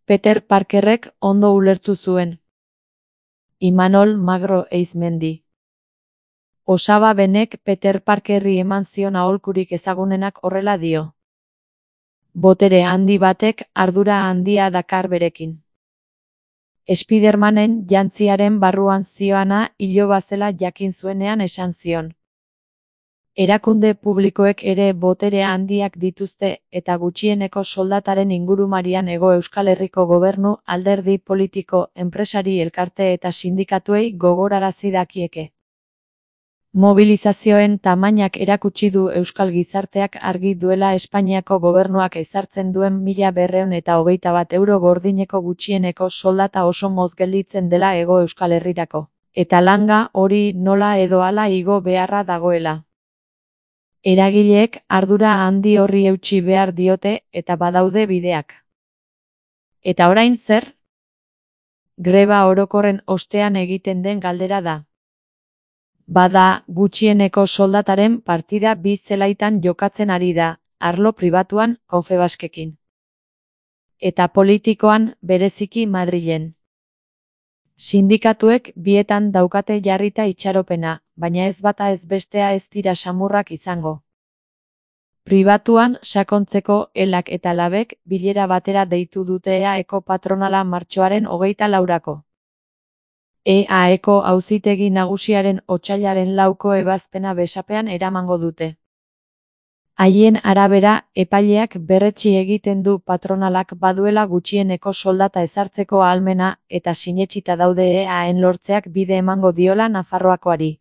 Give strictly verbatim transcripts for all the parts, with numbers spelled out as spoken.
Peter Parkerrek ondo ulertu zuen. Imanol Magro Eizmendi. Osaba Benek Peter Parkerri eman zion aholkurik ezagunenak horrela dio. Botere handi batek ardura handia dakar berekin. Spidermanen jantziaren barruan zioana iloba zela jakin zuenean esan zion. Erakunde publikoek ere botere handiak dituzte eta gutxieneko soldataren ingurumarian Hego Euskal Herriko gobernu, alderdi politiko, enpresari elkarte eta sindikatuei gogorarazi dakieke. Mobilizazioen tamainak erakutsi du euskal gizarteak argi duela Espainiako gobernuak ezartzen duen mila berrehun eta hogeita bat euro gordineko gutxieneko soldata oso motz gelditzen dela Hego Euskal Herrirako, eta langa hori nola edo hala igo beharra dagoela. Eragileek ardura handi horri eutsi behar diote eta badaude bideak. Eta orain zer? Greba orokorren ostean egiten den galdera da. Bada, gutxieneko soldataren partida bi zelaitan jokatzen ari da, arlo pribatuan, Confebaskekin. Eta politikoan, bereziki Madrilen. Sindikatuek bietan daukate jarrita itxaropena, baina ez bata ez bestea ez dira samurrak izango. Pribatuan, sakontzeko, elak eta labek, bilera batera deitu dute E A Eko patronala martxoaren hogeita laurako. E A Eko auzitegi nagusiaren otsailaren lauko ebazpena besapean eramango dute. Haien arabera, epaileak berretsi egiten du patronalak baduela gutxieneko soldata ezartzeko ahalmena eta sinetsita daude E A-en lortzeak bide emango diola Nafarroakoari.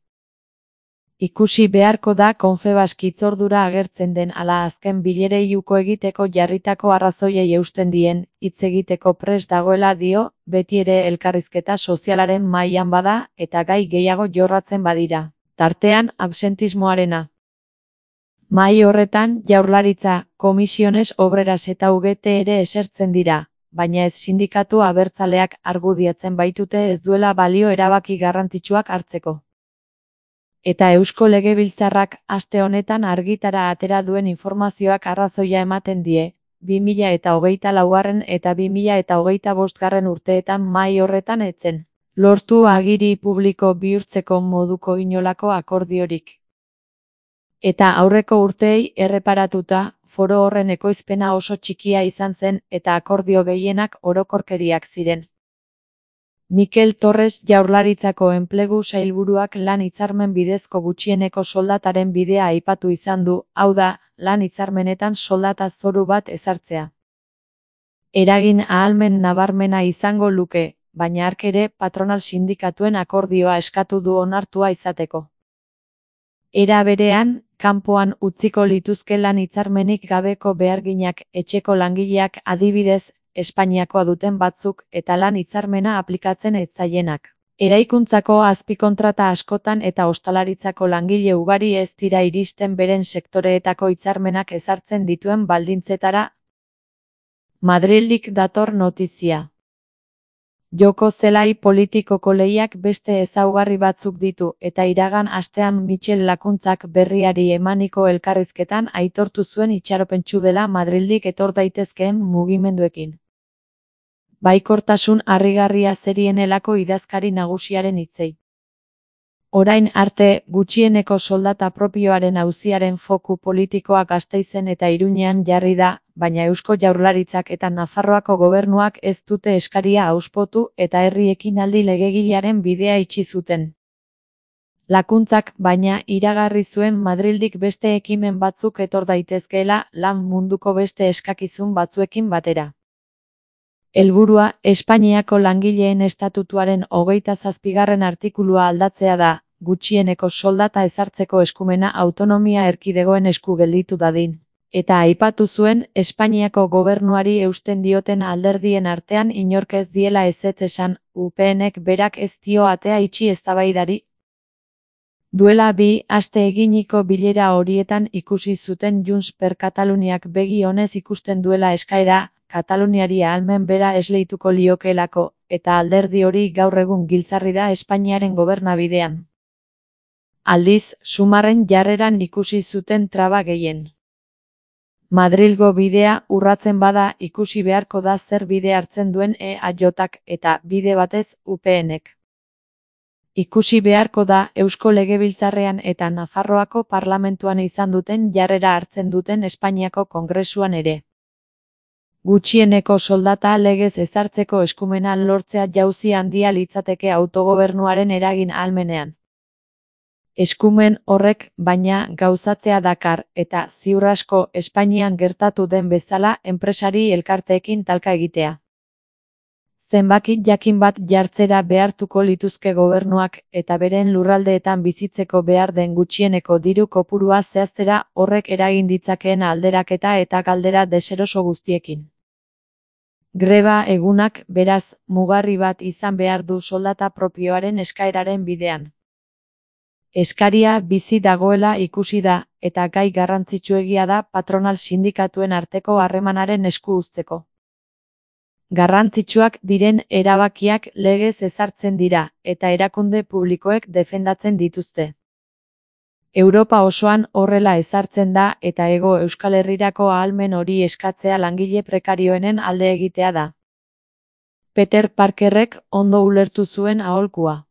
Ikusi beharko da Confebask hitzordura agertzen den ala azken bilerei uko egiteko jarritako arrazoiei eusten dien, hitz egiteko prest dagoela dio, beti ere elkarrizketa sozialaren mailan bada eta gai gehiago jorratzen badira, tartean absentismoarena. Mahai horretan Jaurlaritza, Komisiones Obreras eta U G T ere esertzen dira, baina ez sindikatu abertzaleak argudiatzen baitute ez duela balio erabaki garrantzitsuak hartzeko. Eta Eusko Legebiltzarrak aste honetan argitara atera duen informazioak arrazoia ematen die, bi mila eta hogeita laugarren eta bi mila eta hogeita bostgarren urteetan mahai horretan etzen lortu agiri publiko bihurtzeko moduko inolako akordiorik. Eta aurreko urteei erreparatuta, foro horren ekoizpena oso txikia izan zen eta akordio gehienak orokorkeriak ziren. Mikel Torres Jaurlaritzako enplegu sailburuak lan hitzarmen bidezko gutxieneko soldataren bidea aipatu izan du, hau da, lan hitzarmenetan soldata zoru bat ezartzea. Eragin ahalmen nabarmena izango luke, baina hark ere patronal sindikatuen akordioa eskatu du onartua izateko. Era berean, kanpoan utziko lituzke lan hitzarmenik gabeko beharginak, etxeko langileak adibidez, Espainiakoa duten batzuk eta lan hitzarmena aplikatzen ez zaienak. Eraikuntzako azpikontrata askotan eta ostalaritzako langile ugari ez dira iristen beren sektoreetako hitzarmenak ezartzen dituen baldintzetara. Madrildik dator notizia. Joko zelai politikoko lehiak beste ezaugarri batzuk ditu eta iragan astean Michel Lakuntzak berriari emaniko elkarrizketan aitortu zuen itxaropentsu dela Madrildik etor daitezkeen mugimenduekin. Baikortasun harrigarria zerienelako idazkari nagusiaren hitzei. Orain arte, gutxieneko soldata propioaren auziaren foku politikoa Gasteizen eta Iruñean jarri da, baina Eusko Jaurlaritzak eta Nafarroako gobernuak ez dute eskaria auspotu eta herri ekinaldi legegilearen bidea itxi zuten. Lakuntzak, baina, iragarri zuen Madrildik beste ekimen batzuk etor daitezkeela lan munduko beste eskakizun batzuekin batera. Helburua, Espainiako langileen estatutuaren hogeita zazpigarren artikulua aldatzea da, gutxieneko soldata ezartzeko eskumena autonomia erkidegoen esku gelditu dadin. Eta aipatu zuen, Espainiako gobernuari eusten dioten alderdien artean inork ez diela ezetz esan, U P Nek berak ez dio atea itxi eztabaidari. Duela bi aste eginiko bilera horietan ikusi zuten Junts per Kataluniak begi onez ikusten duela eskaera, Kataluniari ahalmen bera esleituko liokelako, eta alderdi hori gaur egun giltzarri da Espainiaren gobernabidean. Aldiz, Sumarren jarreran ikusi zuten traba gehien. Madrilgo bidea urratzen bada ikusi beharko da zer bide hartzen duen E A Jk eta bide batez U P Nek. Ikusi beharko da Eusko Legebiltzarrean eta Nafarroako Parlamentuan izan duten jarrera hartzen duten Espainiako Kongresuan ere. Gutxieneko soldata legez ezartzeko eskumena lortzea jauzi handia litzateke autogobernuaren eragin ahalmenean. Eskumen horrek, baina, gauzatzea dakar, eta ziur asko Espainian gertatu den bezala enpresari elkarteekin talka egitea. Zenbaki jakin bat jartzera behartuko lituzke gobernuak eta beren lurraldeetan bizitzeko behar den gutxieneko diru kopurua zehaztera horrek eragin ditzakeen alderaketa eta galdera deseroso guztiekin. Greba egunak, beraz, mugarri bat izan behar du soldata propioaren eskaeraren bidean. Eskaria bizi dagoela ikusi da, eta gai garrantzitsuegia da patronal sindikatuen arteko harremanaren esku uzteko. Garrantzitsuak diren erabakiak legez ezartzen dira, eta erakunde publikoek defendatzen dituzte. Europa osoan horrela ezartzen da eta Hego Euskal Herrirako ahalmen hori eskatzea langile prekarioenen alde egitea da. Peter Parkerrek ondo ulertu zuen aholkua.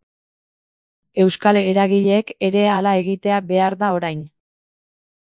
Euskal eragileek ere hala egitea behar da orain.